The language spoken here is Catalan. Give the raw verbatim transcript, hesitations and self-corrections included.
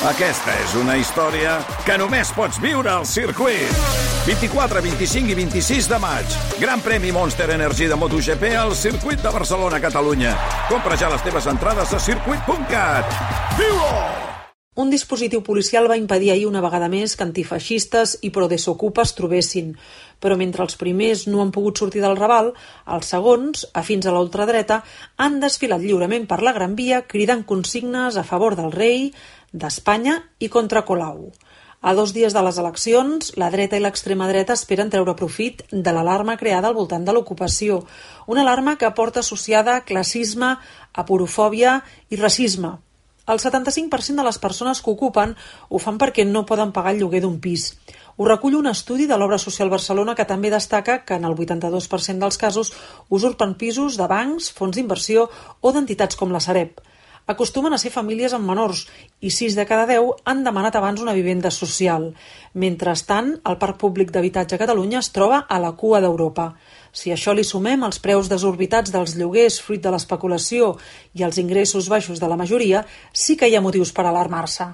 Aquesta és una història que només pots viure al circuit. vint-i-quatre, vint-i-cinc i vint-i-sis de maig. Gran premi Monster Energy de MotoGP al circuit de Barcelona, Catalunya. Compra ja les teves entrades a circuit punt cat. Viu-ho! Un dispositiu policial va impedir ahir una vegada més que antifeixistes i pro-desokupa es trobessin. Però mentre els primers no han pogut sortir del Raval, els segons, afins a la ultradreta, han desfilat lliurement per la Gran Via cridant consignes a favor del rei, d'Espanya i contra Colau. A dos dies de les eleccions, la dreta i l'extrema dreta esperen treure profit de l'alarma creada al voltant de l'ocupació, una alarma que porta associada classisme, aporofòbia i racisme. El setanta-cinc per cent de les persones que ocupen ho fan perquè no poden pagar el lloguer d'un pis. Ho recull un estudi de l'Obra Social Barcelona que també destaca que en el vuitanta-dos per cent dels casos usurpen pisos de bancs, fons d'inversió o d'entitats com la Sareb. Acostumen a ser famílies amb menors i sis de cada deu han demanat abans una vivenda social. Mentrestant, el parc públic d'habitatge a Catalunya es troba a la cua d'Europa. Si a això li sumem els preus desorbitats dels lloguers fruit de l'especulació i els ingressos baixos de la majoria, sí que hi ha motius per alarmar-se.